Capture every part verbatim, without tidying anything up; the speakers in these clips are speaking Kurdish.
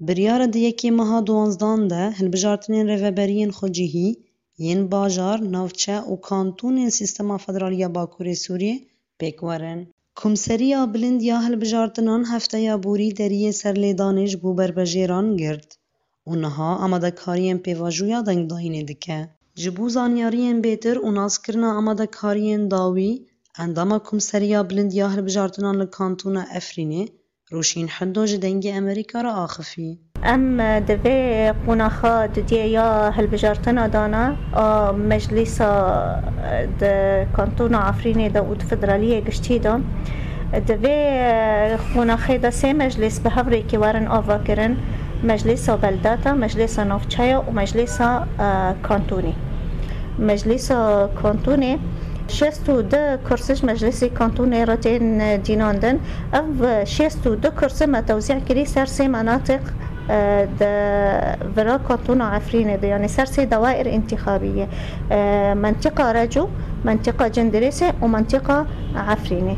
Biryara di yekê meha duwanzdan de hilbijartinên rêveberiyên xwecihî yên bajar, navçe û kantûnên Sîstema Federalî ya Bakurê Sûriyê pêk werin. Komseriya Bilind ya Hilbijartinan hefteya borî deriyê serlêdanê ji bo berbejêran girt û niha amadekariyên pêvajoya dengdayînê dike. Ji bo zanyariyên bêtir û naskirina amadekariyên dawî, endama Komseriya Bilind ya Hilbijartinan li Kantona Efrînê, Rûşîn Hiddo ji Dengê Amerîka re axifî. Em di vê qonaxa dudiyê ya hilbijartina dana a meclîsa di Kantona Efrînê de û di federaliyê giştî de, di vê qonaxê de sê meclîs bi hev rê kê werin ava kirin, Meclîsa Beldata, Meclîsa Navçeya û Meclîsa, e, Kantonê. Meclîsa Kantonê şêst û du kursi ji Meclîsê Kantonê re tên dînandin. Ev şêst û du kursi me tewzî kirî ser sê menatiq, e, di vira Kantona Efrînê de, yanî ser sê dawair întîxabî ye. E, Mentîqa Reco, Mentîqa Cindirêsê û Mentîqa Efrînê.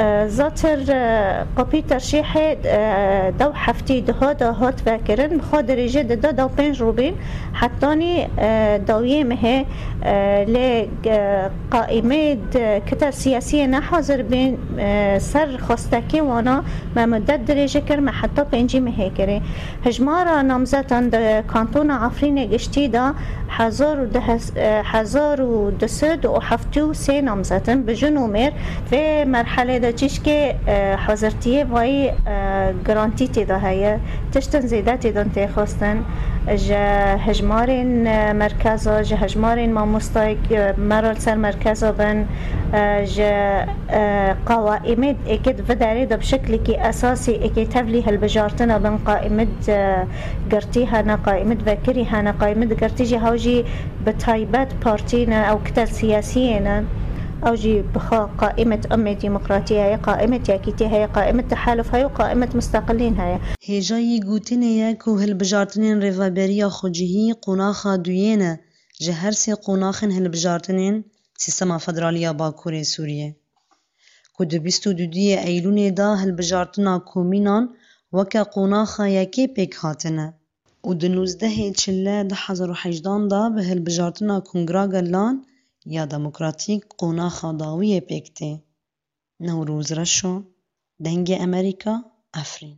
E, zatir, e, qopî terşîhê, e, dew heftî duha de hat vekirin, bi xwe dirêje dide dew pênc rûbîn, hetanî, e, dawiyê mehê, e, lê, e, qaîmê di kita siyasiyê nehazir bîn, e, ser xwestekê wana me mudet dirêje kir, me heta pêncî mehê kirê. Hijmara namzetan di Kantona Efrînê giştî de hezar û du, e, hezar û du sed û heftê û sê namzet in, bi jin û mêr. Vê merhelê de çîşkê, e, hazirtiyê vayî, e, girantî tê de heye. Tiştin zêde tê de tê xwestin. Ji hejmarên, e, merkeza, ji hejmarên mamostayek, e, me re li ser merkeza bin, e, ji, e, qawaîmê êkê di vê derê de bi şeklekî esasî êkê tevlî hilbijartina bin qaîmê, e, girtî hene, qaîmê vekirî hene, qaîmê girtî jî hew jî bi taybet partî ne, ew kitel siyasiyê ne. Ew jî bi xwe qaîmet emmê demokratî heye, qaîmet yekîtî heye, qaîmet tehaluf heye û qaîmet musteqilîn heye. Hêjayî gotinê ye ku hilbijartinên rêveberiya xwecihî qonaxa duyê ne ji her sê qonaxên hilbijartinên Sîstema Federalî ya Bakurê Sûriyê, ku di bîst û duduyê Eylûlê de hilbijartina komînan weke qonaxa yekê pêk hatine û di nûzdehê Çile du hezar û hejdan de bi hilbijartina Kongra Gelan ya Demokratîk qonaxa dawiyê pêk tê. Newroz Reşo, Dengê Amerîka, Efrîn.